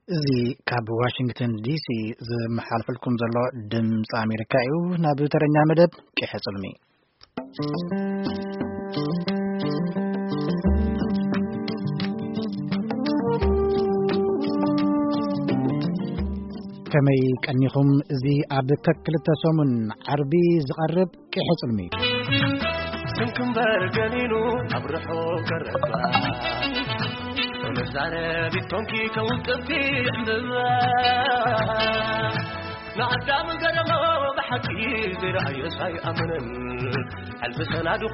እዚ ካብ ዋሽንግተን ዲሲ ዝመሓልፈልኩም ዘሎ ድምፂ ኣሜሪካ እዩ። ናብ ተረኛ መደብ ቂሐ ጽልሚ። ከመይ ቀኒኹም? እዚ ኣብ ከክልተ ሰሙን ዓርቢ ዝቐርብ ቂሐ ጽልሚ። ስንክምበር ገኒኑ ኣብ ርሑቕ ቀረባ፣ መዛረቢት ኮንኪ ከውቅብቲ ዕምብባ። ንኣዳም ገረሞ ብሓቂ ዘይረኣዮ ኣይኣመነን። ሕልፊ ሰናድኹ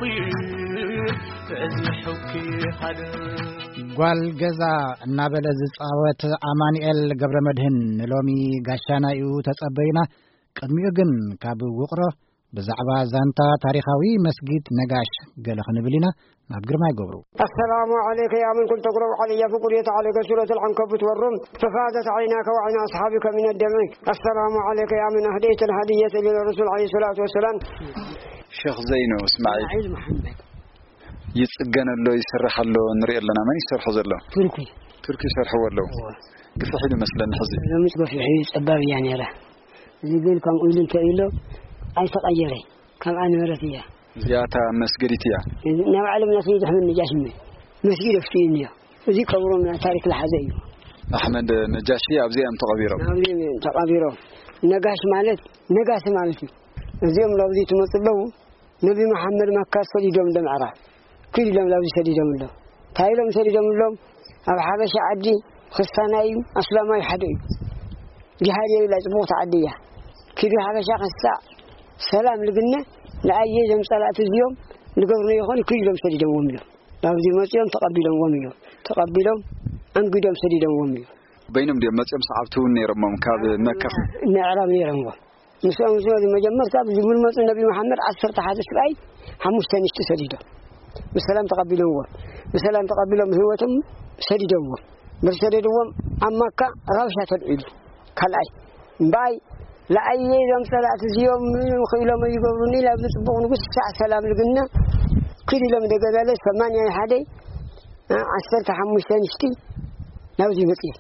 በዚ ሕውኪ ሓደ። ጓል ገዛ እናበለ ዝጻወት ኣማኑኤል ገብረ መድህን ንሎሚ ጋሻና እዩ፣ ተጸበዩና። ቅድሚኡ ግን ካብ ውቕሮ ብዛዕባ ዛንታ ታሪኻዊ መስጊድ ነጋሽ ገለ ክንብል ኢና። ናብ ግርማይ ገብሩ። السلام عليك يا من كنت تقرأ علي في قرية عليك سورة العنكبوت والروم، ففاضت عيناك وعين أصحابك من الدمع. السلام عليك يا من أهديت الهدية للرسول عليه الصلاة والسلام. ሸኽ ዘይኑ እስማዒል። እስማዒል መሓመድ። ይጽገን ኣሎ፣ ይስራሕ ኣሎ፣ ንርኢ ኣለና። መን ይሰርሖ ዘሎ? ቱርኪ። ቱርኪ ይሰርሕዎ ኣለዉ። እወ። ግፍሕ ኢሉ መስለኒ ሕዚ። ሎምስ ገፊሕ እዩ፣ ጸባብ እያ ነይራ። እዚ ግን ከምኡ ኢሉ እንተ ኢሎ ኣይተቐየረ፣ ከምኣ ነበረት እያ። እዚኣ እታ መስገዲት እያ። እዚ ናይ ባዕሎም ናይ ሰይድ ኣሕመድ ነጃሽ እሞ መስጊድ ኣፍትዩኒ እዮ። እዚ ቀብሮም ናይ ታሪክ ዝሓዘ እዩ። ኣሕመድ ነጃሺ ኣብዚኣ እዮም ተቐቢሮም። ኣብዚ እዮም ተቐቢሮም። ነጋሽ ማለት ነጋሲ ማለት እዩ። እዚኦም ናብዚ ትመፁ ኣለዉ። ነቢ መሓመድ መካ ሰዲዶም ዶ ምዕራብ ክድ ኢሎም ናብዚ ሰዲዶም ኣሎ። እንታይ ኢሎም ሰዲዶም ኣሎም? ኣብ ሓበሻ ዓዲ ክስታናይ እዩ ኣስላማይ ሓደ እዩ። ጅሃድ የብላ፣ ጽቡቕቲ ዓዲ እያ። ኪዱ ሓበሻ ክሳዕ ሰላም ልግነ ንኣየ ዘም ጸላእቲ እዚኦም ንገብርና ይኾን ክድ ኢሎም ሰዲዶምዎም እዮም። ናብዚ መጺኦም ተቐቢሎምዎም እዮም። ተቐቢሎም ኣንግዶም ሰዲዶምዎም እዮም። በይኖም ድዮም መጺኦም? ሰዓብቲ እውን ነይሮሞም ካብ መካ? ምዕራብ ነይሮምዎም። ምስኦም ዝመ-፣ መጀመርታ ኣብዚ ዝመፁ ነቢ መሓመድ ዓሰርተ ሓደ ስብኣይ ሓሙሽተ ንሽቲ ሰዲዶም ብሰላም ተቐቢሎምዎም። ብሰላም ተቐቢሎም ህይወቶም ሰዲዶምዎም። ምስ ሰደድዎም ኣብ መካ ራብሻ ተልዒሉ። ካልኣይ እምበኣይ ለኣየ እዞም ጸላእቲ እዚኦም ምንም ክኢሎም ይገብሩኒ፣ ላብዚ ጽቡቕ ንጉስ ሳዕ ሰላም ልግና ክድ ኢሎም ደገበለ ሰማንያ ሓደ ዓሰርተ ሓሙሽተ ንሽቲ ናብዚ መጽእ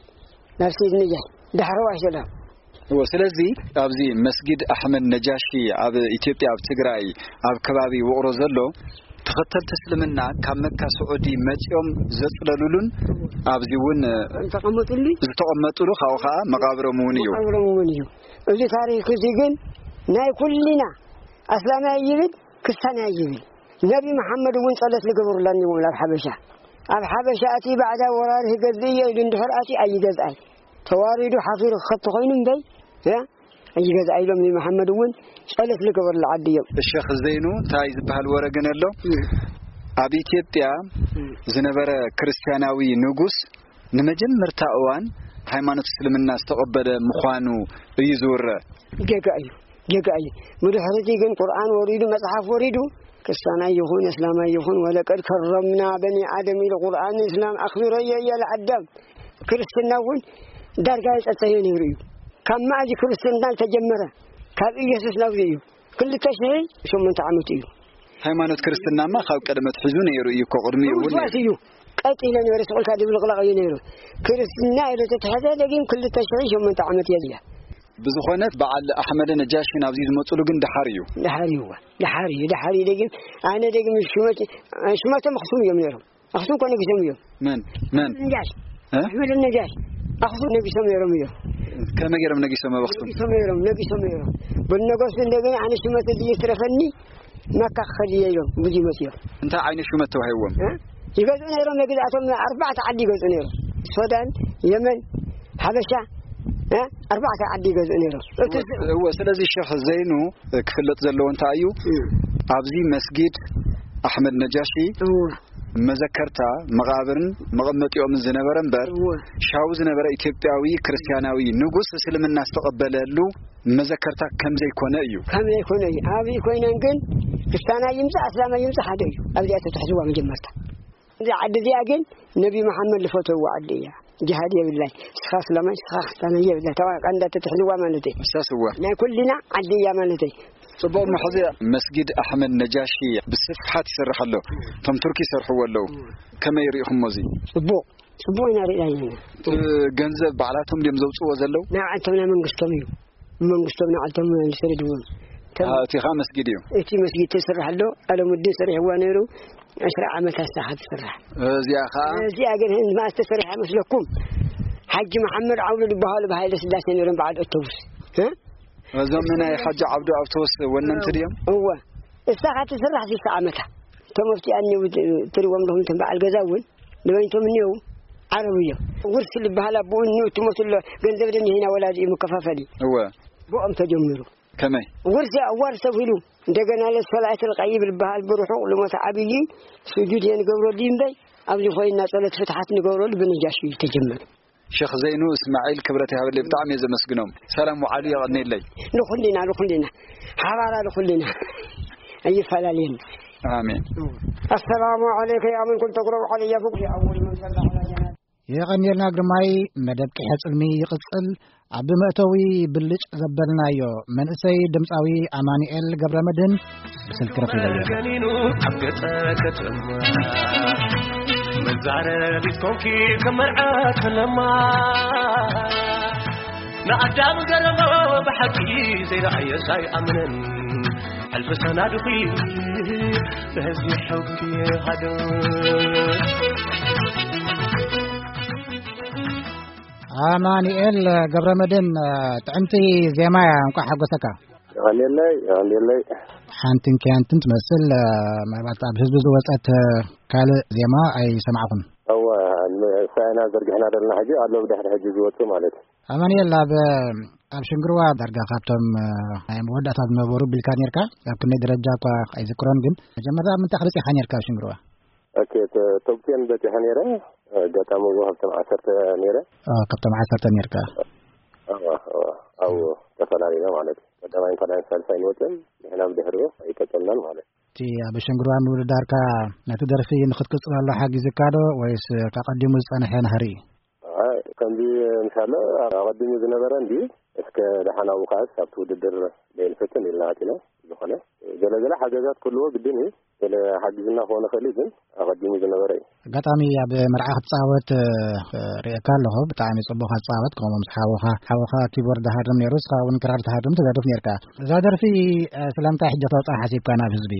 ናብ ሰይድ ነጃሽ ዳሕረዋይ ሰላም። እወ፣ ስለዚ ኣብዚ መስጊድ ኣሕመድ ነጃሺ ኣብ ኢትዮጵያ፣ ኣብ ትግራይ፣ ኣብ ከባቢ ውቕሮ ዘሎ ተኸተልቲ እስልምና ካብ መካ ስዑዲ መጺኦም ዘጽለሉሉን ኣብዚ እውን ዝተቐመጡሉ፣ ዝተቐመጡሉ፣ ካብኡ ኸዓ መቓብሮም እውን እዩ። መቓብሮም እውን እዩ። እዚ ታሪክ እዚ ግን ናይ ኩልና ኣስላማይ ይብል፣ ክስታናይ ይብል። ነቢ መሓመድ እውን ጸሎት ልገብሩላ እዮም ኣብ ሓበሻ። ኣብ ሓበሻ እቲ ባዕዳ ወራሪ ክገዝእ እየ ኢሉ እንድሕር ኣትዩ ኣይገዝኣይ። ተዋሪዱ ሓፊሩ ክኸት ተኾይኑ እምበይ፣ ያ፣ ኣይገዝኣ ኢሎም ንመሓመድ እውን ጸሎት ልገበርሉ ዓዲ እዮም። ሸኽ ዘይኑ እንታይ ዝበሃል ወረ ግን ኣሎ? እም። ኣብ ኢትዮጵያ እም። ዝነበረ ክርስትያናዊ ንጉስ ንመጀመርታ እዋን ሃይማኖት እስልምና ዝተቐበለ ምዃኑ እዩ ዝውረ። ጌጋ እዩ፣ ጌጋ እዩ። ብድሕሪቲ ግን ቁርኣን ወሪዱ፣ መጽሓፍ ወሪዱ፣ ክርስትያናይ ይኹን እስላማይ ይኹን፣ ወለቀድ ከረምና በኒ ኣደም ኢሉ ቁርኣን እስላም ኣኽቢሮ እየ እያለ ኣዳም። ክርስትና እውን ዳርጋ የጸጸዮ ነይሩ እዩ። ካብ መኣዚ ክርስትና ዝተጀመረ፣ ካብ ኢየሱስ ናብዚ እዩ። ክልተ ሽሕ ሸሞንተ ዓመት እዩ። ሃይማኖት ክርስትናማ ካብ ቀደም ኣትሒዙ ነይሩ እዩ እኮ፣ ቅድሚኡ እውን ውስዋስ ነይሩ። እዩ። ቀጥ ኢለ ነይሩ፣ ስቕ ኢልካ ድብልቕላቕ እዩ ነይሩ። ክርስትና ኢሉ ተትሐዘ ደጊም ክልተ ሽሕ ሸሞንተ ዓመት እያ እዚኣ። ብዝኾነ በዓል ኣሕመድ ነጃሺ ናብዚ ዝመፅሉ ግን ደሓር እዩ። ደሓር እዩ፣ ደሓር እዩ፣ ደሓር እዩ። ደጊም ኣነ ደጊም ሽመት-፣ ሽመቶም ኣኽሱም እዮም ነይሮም። ኣኽሱም እኮ ነጊሶም እዮም። መን? መን? ነጃሽ። እ? ኣሕመድ ነጃሽ። ኣኽሱም ነጊሶም ነይሮም እዮም። ከመይ ገይሮም ነጊሶም ኣብ ኣኽሱም? ነጊሶም ነይሮም፣ ነጊሶም ነይሮም። በነገሱ እንደገና ኣነ ሽመት እዚ ይትረፈኒ መካ ክኸድ እየ ኢሎም ብዙ ይመፅዮም። እንታይ ዓይነት ሹመት ተዋሂብዎም? እ? ይገዝኡ ነይሮም፣ ነግዝኣቶም ኣርባዕተ ዓዲ ይገዝኡ ነይሮም። ሱዳን፣ የመን፣ ሓበሻ፣ እ? ኣርባዕተ ዓዲ ይገዝኡ ነይሮም። እቲ እወ፣ እወ፣ ስለዚ ሸኽ ዘይኑ ክፍለጥ ዘለዎ እንታይ እዩ? እ። ኣብዚ መስጊድ ኣሕመድ ነጃሺ እወ። መዘከርታ መቓብርን መቐመጢኦምን ዝነበረ እምበር፣ እወ። ሻው ዝነበረ ኢትዮጵያዊ ክርስትያናዊ ንጉስ እስልምና ዝተቐበለሉ መዘከርታ ከም ዘይኮነ እዩ። ከም ዘይኮነ እዩ። ኣብይ ኮይነን ግን ክርስትያናይ ይምጻእ ኣስላማይ ይምጻእ ሓደ እዩ። ኣብዚኣ ተትሕዝዋ መጀመርታ። እዛ ዓዲ እዚኣ ግን ነቢ መሓመድ ዝፈተውዋ ዓዲ እያ። ጅሃድ የብላይ። ንስኻ ኣስላማይ፣ ንስኻ ክርስትያናይ የብላይ። ተባ-፣ ቀንዳ ተትሕዝዋ ማለት እዩ። እሳስ እዋ። ናይ ኩልና ዓዲ እያ ማለት እዩ። ጽቡቕ፣ እሞ ሕዚ መስጊድ ኣሕመድ ነጃሺ ብስፍሓት ይሰርሕ ኣሎ። እቶም ቱርኪ ይሰርሕዎ ኣለዉ። ከመይ ርኢኹሞ እዚ? ጽቡቕ። ጽቡቕ ኢና ርኢና ኣለና። እቲ ገንዘብ ባዕላቶም ድዮም ዘውጽእዎ ዘለዉ? ንዓቶም ናይ መንግስቶም እዩ። መንግስቶም ንዓቶም ዝሰደድዎም። እቶም ኣዎ፣ እቲ ኸኣ መስጊድ እዩ። እቲ መስጊድ ተስርሕ ኣሎ፣ ኣለሙዲን ሰሪሕዋ ነይሩ፣ ዕስራ ዓመት ኣስታሓ ትስራሕ። እዚኣ ኸኣ? እዚኣ ግን ህንድ መኣስ ተሰሪሓ መስለኩም? ሓጂ መሓመድ ዓብዱ ዝበሃሉ ብሃይለ ስላሴ ነይሮም በዓል ኣውቶቡስ። እ? እዞም ናይ ሓጂ ዓብዱ ኣውቶቡስ ወነንቲ ድዮም? እወ። እሳ ኸኣ ትስራሕ ሽዱሽተ ዓመታ። እቶም ኣብቲ ኣንየው ትሪእዎም ኣለኹም፣ እቶም በዓል ገዛ እውን ንበይንቶም እኒአው ዓረብ እዮም። ውርሲ ዝበሃል ኣቦኡ እኒኡ ትሞት ኣሎ፣ ገንዘብ ደም ይሄና ወላዲ እዩ መከፋፈሊ። እወ። ብኦም ተጀሚሩ። ከመይ? ውርሲ ኣዋር ሰብ ኢሉ፣ እንደገና ለሰላእት ልቀይብ ዝበሃል ብርሑቕ ልሞት ዓብዪ ስጁድ እየ ንገብረሉ እምበይ፣ ኣብዚ ኮይንና ጸሎት ፍትሓት ንገብረሉ ብነጃሽ እዩ ተጀመሩ። ሸኽ ዘይኑ እስማዒል ክብረት ይሃበለይ፣ ብጣዕሚ እየ ዘመስግኖም። ሰላም ወዓሉ የቐንየለይ። ንኹልና፣ ንኹልና። ሓባራ ንኹልና። ኣይፈላለየን። ኣሜን። السلام عليك يا من كنت تقرأ علي فوق أول من صلى على جنازة. የቐንየልና ግርማይ፣ መደብ ቂሐ ጽልሚ ይቕጽል። ኣብ መእተዊ ብልጭ ዘበልናዮ መንእሰይ ድምጻዊ ኣማኑኤል ገብረመድህን ብስልኪ ረኺበዮ። ገኒኑ ኣብ ገጸ ከተማ መዛረቢት ኮንኪ ከም መርዓ ከለማ ንኣዳም ገረሞ ብሓቂ ዘይረኣየስ ኣይኣምንን ሕልፊ ሰናድኺ በዚ ሕውኪ ሃደ። ኣማኑኤል ገብረመድህን፣ ጥዕምቲ ዜማ እያ፣ እንኳዕ ሓጎሰካ። የቐንየለይ፣ የቐንየለይ። ሓንትን ኪያንትን ትመስል፣ ምናልባት ኣብ ህዝቢ ዝወጸት ካልእ ዜማ ኣይሰማዕኹን። እወ፣ ንሳ ኢና ዘርጊሕና ዘለና ሕጂ፣ ኣሎ ብድሕሪ ሕጂ ዝወጽእ ማለት እዩ። ኣማኑኤል፣ ኣብ፣ ኣብ ሽንግርዋ ዳርጋ ካብቶም ናይ መወዳእታ ዝነበሩ ቢልካ ኔርካ፣ ኣብ ክንደይ ደረጃ እኳ ኣይዝክሮን፣ ግን መጀመርታ ኣብ ምንታይ ክበጺኻ ኔርካ ኣብ ሽንግርዋ? ኦኬ፣ ተ-፣ ቶፕ ቴን በጺሐ ነይረ። ኣጋጣሚ እውን ካብቶም ዓሰርተ ነይረ። ኦ፣ ካብቶም ዓሰርተ ነይርካ። እዋ፣ እዋ፣ ኣብኡ ተፈላለዩና ማለት እዩ። ቀዳማይን ካልኣይን ሳልሳይን ወፅን፣ ንሕና ብድሕሪኡ ኣይቀጸልናን ማለት እዩ። እቲ ኣብ ሸንግርዋ ምውድዳርካ ነቲ ደርፊ ንኽትቅጽለሉ ሓጊዝካ ዶ ወይስ ካብ ቀዲሙ ዝጸንሐ ናህሪ እዩ? ኣይ፣ ከምዚ ምሻሎ ኣቐዲሙ ዝነበረ እንድዩ። እስከ ደሓን ኣብኡ ከኣስ ኣብቲ ውድድር ለይንፈትን ኢልና ኣቲና። ዝኾነ ገለ ገለ ሓገዛት ክህልዎ ግድን እዩ። ገለ ሓጊዝና ክኾን ይኽእል እዩ፣ ግን ኣቐዲሙ ዝነበረ እዩ። ኣጋጣሚ ኣብ መርዓ ክትጻወት፣ እ፣ ርእየካ ኣለኹ። ብጣዕሚ ጽቡቕ ክትጻወት፣ ከምኡ ምስ ሓውኻ፣ ሓውኻ ኪቦርድ ሃርም ነይሩ፣ ንስኻ እውን ክራር ትሃርም ትደርፍ ነይርካ። እዛ ደርፊ፣ እ፣ ስለምንታይ ሕጂ ክተውጽኣ ሓሲብካ ናብ ህዝቢ?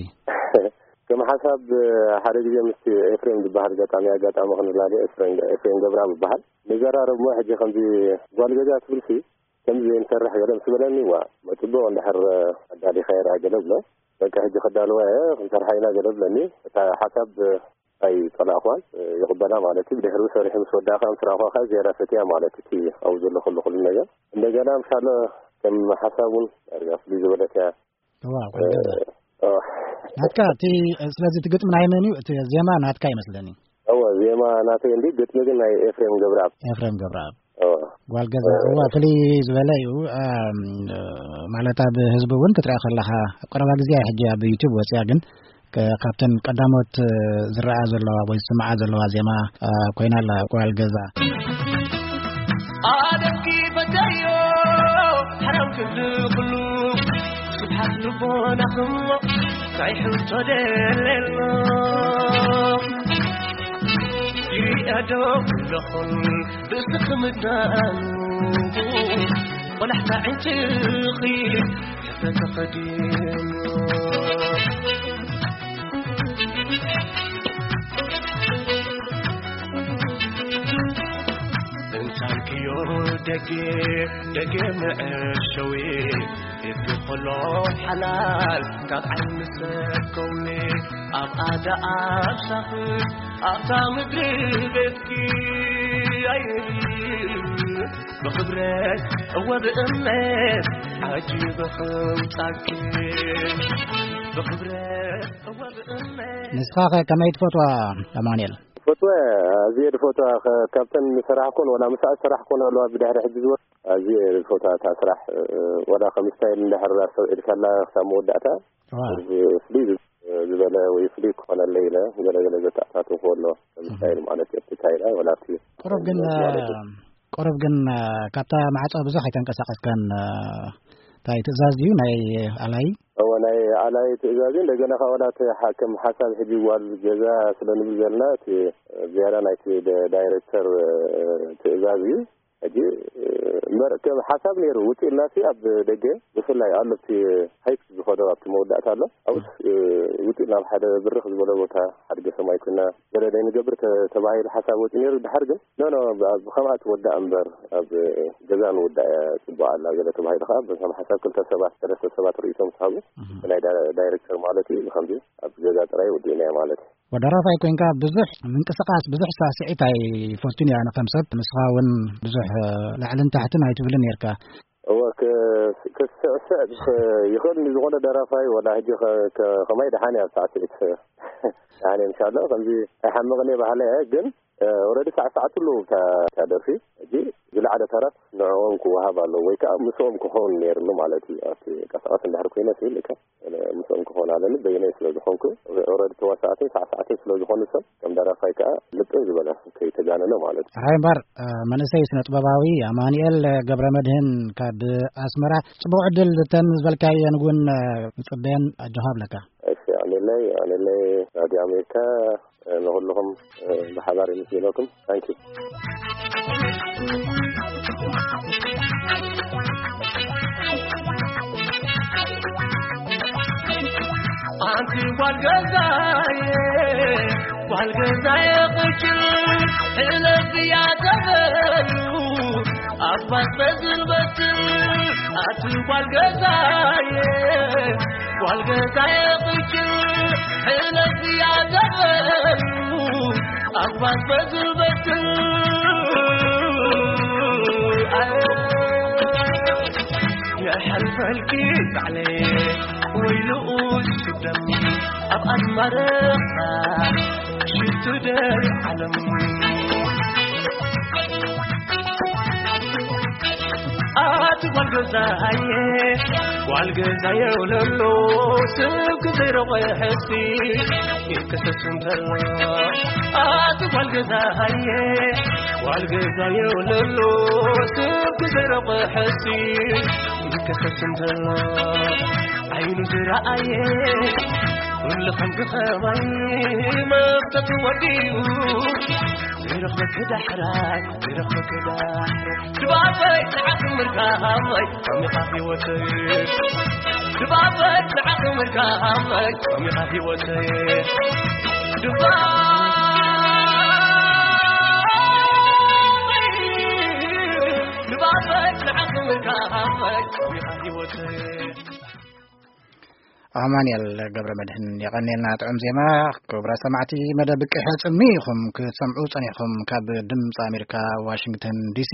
ከም ሓሳብ፣ እ፣ ሓደ ግዜ ምስቲ ኤፍሬም ዝበሃል ገጣሚ፣ ኣጋጣሚ ክንላለዮ፣ ኤፍሬም፣ ኤፍሬም ገብረኣብ ይበሃል። ንዘራረብ እሞ ሕጂ ከምዚ ጓል ገዛ ትብልሲ ከምዚ ዘይንሰርሕ ገለ ምስ በለኒ፣ ዋ፣ መጽቡቕ እንድሕር ኣዳሊኻዮ ደኣ ገለ ብሎ። በቃ፣ ሕጂ ከዳልዋ እየ፣ ክንሰርሓ ኢና ገለ ብለኒ። እታ ሓሳብ ኣይጸላእኽዋን፣ ይቕበላ ማለት እዩ። ብድሕሪኡ ሰሪሑ ምስ ወዳእ ከኣ ምስ ረኣኹዋ ከኣ ዝያዳ ፈትያ ማለት እቲ ኣብኡ ዘሎ ኩሉ፣ ኩሉ ነገር። እንደገና ምሻሎ ከም ሓሳብ እውን ዳርጋ ፍልይ ዝበለት እያ። እዋ፣ ጓል ገዛ። እ፣ እ። ናትካ እቲ፣ ስለዚ እቲ ግጥሚ ናይ መን እዩ? እቲ ዜማ ናትካ ይመስለኒ። እወ፣ ዜማ ናተይ እንዲ፣ ግጥሚ ግን ናይ ኤፍሬም ገብረኣብ። ኤፍሬም ገብረኣብ። እወ። ጓል ገዛ። እ። እዋ፣ ፍልይ ዝበለ እዩ። እም፣ ማለት ኣብ ህዝቢ እውን ክትሪኣ ከለኻ፣ ኣብ ቀረባ ግዜ ሕጂ ኣብ ዩቱብ ወፂኣ፣ ግን ከ-፣ ካብተን ቀዳሞት ዝረኣ ዘለዋ ወይ ዝስምዓ ዘለዋ ዜማ፣ እ፣ ኮይና ኣላ፣ ጓል ገዛ። ኣደምኪ በጃዮ ሓራም ክንዲ ኩሉ ስብሓት ልቦናኹም ናይ ሕቶ ደለሎ ይሪኣዶ ኩለኹም ርእስኺ ምዳኑ ቆላሕታ ዕንጭኺ ሕፍረት ተኸዲኑ። እንታንክዮ ደጌ ደጌ መዐሸዊ እቲ ኾሎ ሓላል ካብ ዓይኒ ሰብ ከውኒ ኣብ ኣዳ ኣብ ሳኽት ኣብታ ምድሪ ቤትኪ ኣይብል ብኽብረት እወ ብእምነት ዓጂበ ኸውጻኪ ብኽብረት እወ ብእምነት። ንስኻ ኸ ከመይ ትፈትዋ ኣማኑኤል? ፈትወ፣ ኣዝየ ዝፈትዋ፣ ከ-፣ ካብተን ዝሰራሕኩን፣ ወላ ምስኣ ዝሰራሕኩን ኣለዋ፣ ብድሕሪ ሕጂ ዝወ-፣ ኣዝየ ዝፈትዋ እታ ስራሕ፣ እ፣ ወላ ከም ስታይል እንድሕር ኣስተውዒልካላ ክሳብ መወዳእታ፣ ዋው። ዝ-፣ ፍልይ ዝ-፣ ዝበለ ወይ ፍልይ ክኾነለይ ኢለ፣ ገለ ገለ ዘተኣታተውኩ ኣሎ፣ ከም እህ። ስታይል ማለት እዩ፣ ኣብቲ ካይዳ፣ ወላ ኣብቲ ቁሩብ ግን፣ ማለት እዩ። ቁሩብ ግን፣ እ፣ ካብታ ማዕጾ ብዙሕ ኣይተንቀሳቐስካን፣ እ፣ እንታይ ትእዛዝ ድዩ ናይ ኣላይ? እወ፣ ናይ ናይ ትእዛዝ እዩ። እንደገና ካብ ዋላ እቲ ሓ-፣ ከም ሓሳብ ሕጂ ጓል ገዛ ስለ ንብል ዘለና፣ እቲ ዝያዳ ናይቲ ደ-፣ ዳይሬክተር ትእዛዝ እዩ። ሕጂ እምበር ከም ሓሳብ ነይሩ፣ ውፅእ ኢልና ሲ ኣብ ደገ ብፍላይ ኣሎ፣ ኣብቲ ሃይክ ዝኸዶ ኣብቲ መወዳእታ ኣሎ። ኣብስ ውፅእ ናብ ሓደ ብርኽ ዝበለ ቦታ፣ ሓድገ ሰማይ ኮይና ገለ ደይ ንገብር ተ-፣ ተባሂሉ ሓሳብ ወፂኡ ነይሩ። ድሓር ግን ኖ ኖ፣ ብ-፣ ብከምኣ ትወዳእ እምበር ኣብ ገዛ ንወዳእ እያ ፅቡቅ ኣላ ገለ ተባሂሉ ከዓ ከም ሓሳብ ክልተ ሰባት ሰለስተ ሰባት ርእይቶም ዝሃቡ ናይ ዳ-፣ ዳይሬክተር ማለት እዩ። ከምዚ ኣብ ገዛ ጥራይ ወዲእናዮ ማለት እዩ። ወደራፋይ ኮይንካ ብዙሕ ምንቅስቃስ፣ ብዙሕ ሳስዒት ኣይፈቱን እያ። ንከም ሰብ ንስኻ እውን ብዙሕ ላዕልን ታሕትን ኣይትብልን ነርካ። እወ፣ ክ-፣ ክስዕስዕ ይኽእል ንዝኾነ ደራፋይ፣ ወላ ሕጂ ከ-፣ ከ-፣ ከማይ ደሓን እያ ሳዕስዒት። ደሓን እየ፣ እንሻላ ከምዚ ኣይሓምቕን እየ በሃላይ እየ፣ ግን ኦረዲ ሳዕሳዕትሉ እታ፣ እታ ደርፊ። ሕጂ ዝለዓለ ተረፍ ንዕኦም ክወሃብ ኣለዎ ወይ ከዓ ምስኦም ክኸውን ነይርሉ ማለት እዩ። ኣብቲ ቀስቀስ እንድሕር ኮይነ ስብል እካ ምስኦም ክኸውን ኣለኒ፣ በይነይ ስለ ዝኾንኩ፣ ኦረዲ ተዋሳእትን ሳዕሳዕትን ስለ ዝኾኑ ሰብ ከም ደራፋይ ከዓ ልጥፍ ዝበለ ከይተጋነነ ማለት እዩ። ሕራይ እምበር መንእሰይ ስነ ጥበባዊ ኣማኑኤል ገብረ መድህን ካብ ኣስመራ፣ ጽቡቕ ዕድል። እተን ዝበልካየን እውን ንጽበየን፣ ኣጆኻ ኣብለካ። እሺ፣ ኣሜለይ ኣሜለይ፣ ራድዮ ኣሜሪካ ንኹልኹም ብሓባር የመስግነኩም። ታንኪ። ኣንቲ ጓል ገዛየ፣ ጓል ገዛየ ቅጭል፣ ሕለፍ እያ ተበሉ፣ ኣባስ በዝልበትል። ኣንቲ ጓል ገዛየ፣ ጓል ገዛየ ቅጭል፣ ሕለፍ እያ ተበሉ፣ ኣባስ በዝልበትል። የሕልፈልኪ ባዕለይ ወይ ልኡስ ሽደም ኣብ ኣድማረኻ ሽቱ ደይ ዓለም። ኣቲ ጓል ገዛየ፣ ጓል ገዛየ ውለሎ፣ ስብኪ ዘይረቑ ሕሲ ይከሰስ እንተሎ። ኣቲ ጓል ገዛየ፣ ጓል ገዛየ ውለሎ፣ ስብኪ ዘይረቑ ሕሲ ይከሰስ እንተሎ። ዓይኑ ዝረኣየ ኩሉ ከም ዝኸባይ መፍተቱ ወዲኡ፣ ዘይረኽበኪ ዳሕራይ፣ ዘይረኽበኪ ዳሕራይ። ድባበይ ንዓኺ ምርካበይ፣ ኣሚኻ ህይወተይ። ድባበይ ንዓኺ ምርካበይ፣ ኣሚኻ ህይወተይ። ድባበይ፣ ድባበይ ንዓኺ ምርካበይ፣ ኣሚኻ ህይወተይ። ኣማንኤል ገብረ መድህን፣ የቐኔልና ጥዑም ዜማ። ክቡራት ሰማዕቲ፣ መደብ ቅሐ ጽልሚ ኢኹም ክትሰምዑ ጸኒሕኩም። ካብ ድምፂ ኣሜሪካ ዋሽንግተን ዲሲ